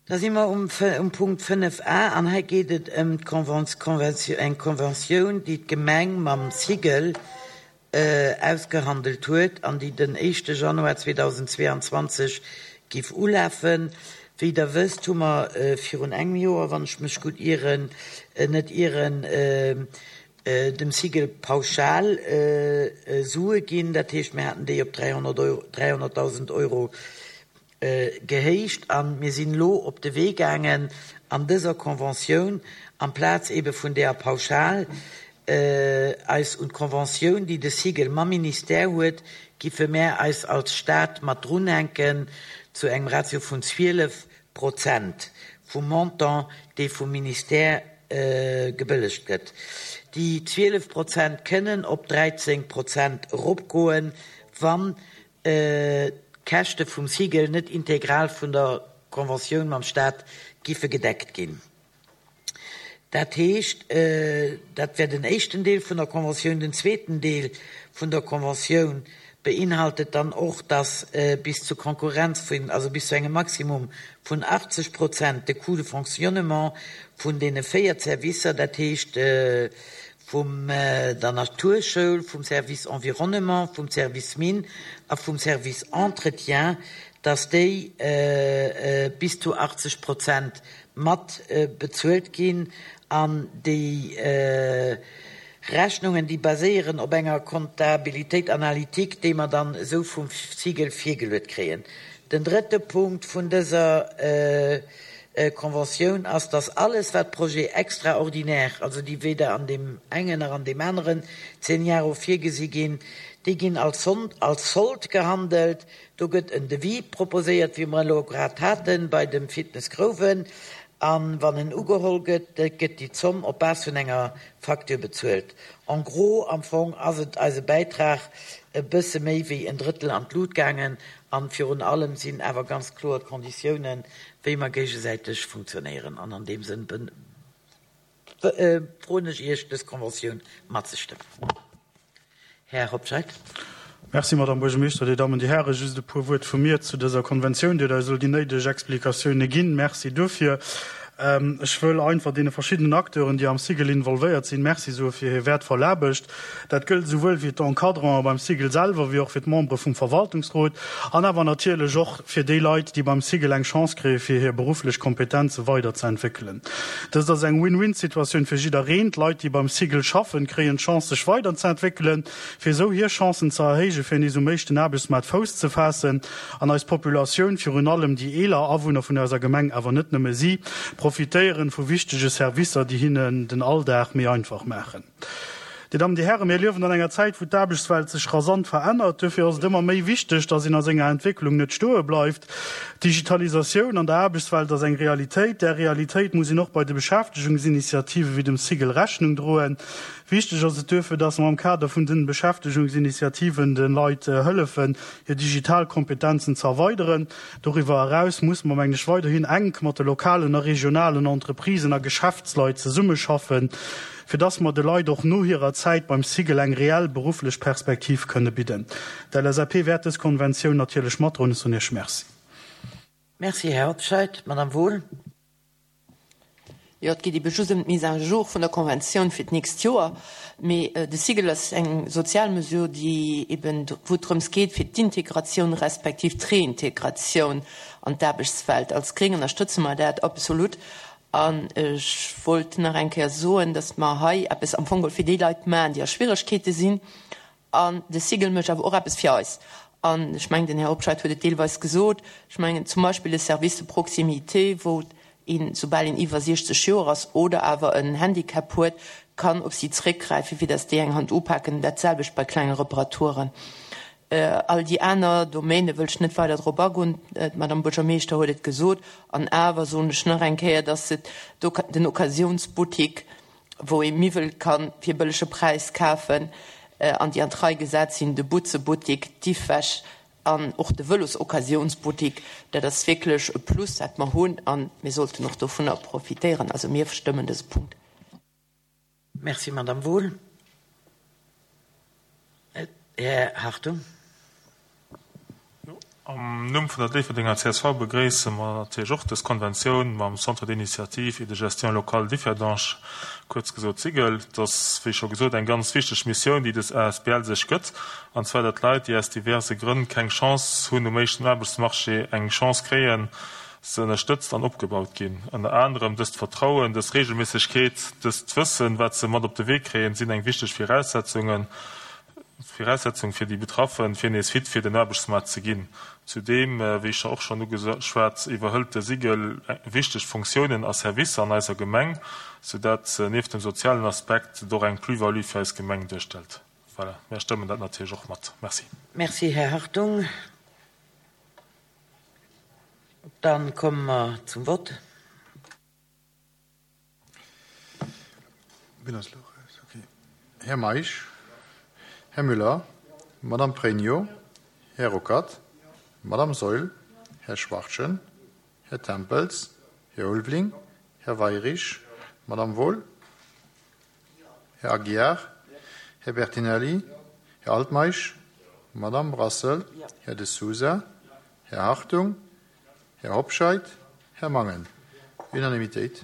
Da si mer um Punkt 5 a an hei geet et ëm eng Conventioun, déi d'Gemeng mam Cigl ausgehandelt huet an déi den éischte Januar 2022 giff ulafen. Wéi Der wësst, hu mer virun engem Joer, wann ech mech gutt ieren, net ieren, dem Cigl pauschal Sue ginn. Dat heescht, mir haten déi op 300.000 Euro gehéicht a mir sinn elo op de Wee gaangen an dëser Conventioun, amplaz eebe vun deeër Pauschal, eis un d'Conventioun, déi de Cigl mam Ministère huet, giffe mär eis als Stat mat drunhänken zu engem Ratio vun 12 Prozent vum Montant, dee vum Ministère gebëllegt gëtt. Déi 12 Prozent kënnen op 13 Prozent eropgoen, wann d'Käschte vum Cigl net integral vun der Conventioun mam Staat giffe gedeckt ginn. Dat heescht, dat wär den éischten Deel vun der Conventioun. Den zweeten Deel vun der Conventioun beinhaltet dann och, dass bis zu Konkurrenz vun, also bis zu engem Maximum vun 80 Prozent de Coût de fonctionnement vun deene 4 Servicer, dat heescht vum der Naturschoul, vum Service Environnement, vum Service Mines a vum Service Entretien, dass déi bis zu 80 Prozent mat bezuelt ginn an déi Rechnungen, déi baséieren op enger Comptabilitéit analytique, déi mer dann esou vum Cigl virgeluet kréien. Den drëtte Punkt vun dëser Conventioun ass, dass alles, wat Projets extraordinaires, also déi weder an deem engen nach an deem aneren Zeniaro virgesi ginn, déi ginn als Sold gehandelt. Do gëtt en Devis proposéiert, wéi mer elo grad hate bei dem Fitness Grouwen, a wann en ugeholl gëtt, gëtt déi Zomm op Base vun enger Facture bezuelt. En gros, am Fong ass et eise Bäitrag e bësse méi wéi en Drëttel an d'Lut gaangen. An virun allem sinn awer ganz kloer d'Konditiounen, wéi mer géigesäiteg funktionéieren. An an deem Sënn froen ech Iech, dës Conventioun matzestëmmen. Här Hobscheit. Merci, Madame Buergermeeschter, Dir Dammen, Dir Hären. Just e puer Wuert vu mir zu dëser Konventioun. Dir hutt eis elo déi néideg Explikatioune ginn. Merci duerfir. Ech wëll einfach deene verschiddenen Acteuren, déi am Cigl involvéiert sinn, Merci soe fir hir wäertvoll Aarbecht. Dat gëllt esouwuel fir d'Encadranten beim Cigl selwer wéi och fir d'Membere vum Verwaltungsrot an awer natierlech och fir déi Leit, déi beim Cigl eng Chance kréie fir hir berufflech Kompetenze weiderzeentwéckelen. Dëst ass eng Win-win-Situatioun fir jiddereen. D'Leit, déi beim Cigl schaffen, kréien d'Chance sech weiderzeentwéckelen, fir esou hir Chancen ze erhéijen, fir nees um éischten Aarbechtsmaart Fouss ze faassen an eis Populatioun, virun allem déi eeler Awunner vun eiser Gemeng, awer net nëmme si, profitéieren vu wichtege Servicer, déi hinnen den Alldag méi einfach maachen. Dir Dammen, Dir Hären, mir liewen an enger Zäit, wou d'Aarbechtswelt sech rasant verännert. Duerfir ass et ëmmer méi wichteg, dass een a senger Entwécklung net stoe bleift. D'Digitalisatioun an der Aarbechtswelt ass eng Realitéit. Där Realitéit muss een och bei de Beschäftegungsinitiative wéi dem Cigl Rechnung droen. Wichteg ass et duerfir, dass mer am Kader vun den Beschäftegungsinitiativen de Leit hëllefen, hir digital Kompetenzen ze erweideren. Doriwwer eraus musse mer, mengen ech, weiderhin enk mat de lokalen a regionalen Entreprisen a Geschäftsleit zesummeschaffen, fir dass mer de Leit och no hirer Zäit beim Cigl eng reell berufflech Perspektiv kënne bidden. D'LSAP wäert dës Konventioun natierlech matdroen. Ech soen Iech Merci. Merci, Här Hobscheit. Madame Wohl. Jo, et geet ebe just ëm d'Mise à jour vun der Konventioun fir d'nächst Joer. Mee de Cigl ass eng sozial Mesure, déi eben, wou et drëms geet, fir d'Integratioun respektiv d'Reintegratioun an d'Aarbechtswelt. Als Gréng ënnerstëtze mer dat absolut. An ech wollt nach eng Kéier soen, dass mer hei eppes am Fong geholl fir déi Leit maachen, déi a Schwieregkeete sinn. An de Cigl mécht awer och eppes fir eis. An ech mengen, den Här Hobscheit huet et deelweis gesot, ech mengen zum Beispill de Service de proximité, wou een, soubal een iwwer 60 Joer ass oder awer en Handicap huet, kann op si zréckgräifen, fir dass déi eng Hand upaken. Dat selwecht bei klenge Reparaturen. All déi aner Domäne wëll ech net weider drop agoen, d'Madame Buergermeeschter huet et gesot. An awer soen ech nach eng Kéier, dass et den Occasionsbuttik, wou ee Miwwel ka fir bëllege Präis kafen an déi an d'Rei gesat sinn, de Butzebuttik, d'Iffwäsch an och de Vëlosoccasionsbuttik, dat ass wierklech e Plus, dat mer hunn a mir sollten och dovunner profitéieren. Also mir stëmmen dëse Punkt. Merci, Madame Wohl. Här Hartung. Am Numm vun der Déifferdenger csv begréisse mer natierlech och dës Konventioun mam Centre d'initiative et de gestion locale Differdange, kuerz gesot SIGEL. Et ass, wéi scho gesot, eng ganz wichteg Missioun, déi dës asbl sech gëtt, an zwar datt Leit, déi aus diverse Grënn keng Chance hunn um éischten Aarbechtsmarché, eng Chance kréien, se ënnerstëtzt an opgebaut ginn. Ënner anerem dëst Vertrauen, dës Regelméissegkeet, dëst Wëssen, wat se mat op de Wee kréien, sinn eng wichteg Viraussetzungen, Viraussetzung fir déi Betraffen, fir nees fit fir den Aarbechtsmaart ze ginn. Zudeem, wéi scho och schonn ugeschwat, iwwerhëlt de SIGEL wichteg Fonctiounen a Servicer an eiser Gemeng, soudatt nieft dem sozialen Aspekt et och eng Plus-value fir eis Gemeng duerstellt. Voilà, mär stëmmen dat natierlech och mat. Merci. Merci, Här Hartung. Dann komme mer zum Vott. Här Meisch, Här Müller, Madame Pregno, Här Ruckert, Madame Saeul, Här Schwachtgen, Här Tempels, Här Ulveling, Här Weyrich, Madame Wohl, Här Aguiar, Här Bertinelli, Här Altmeisch, Madame Brassel, Här De Sousa, Här Hartung, Här Hobscheit, Här Mangen. Unanimitéit.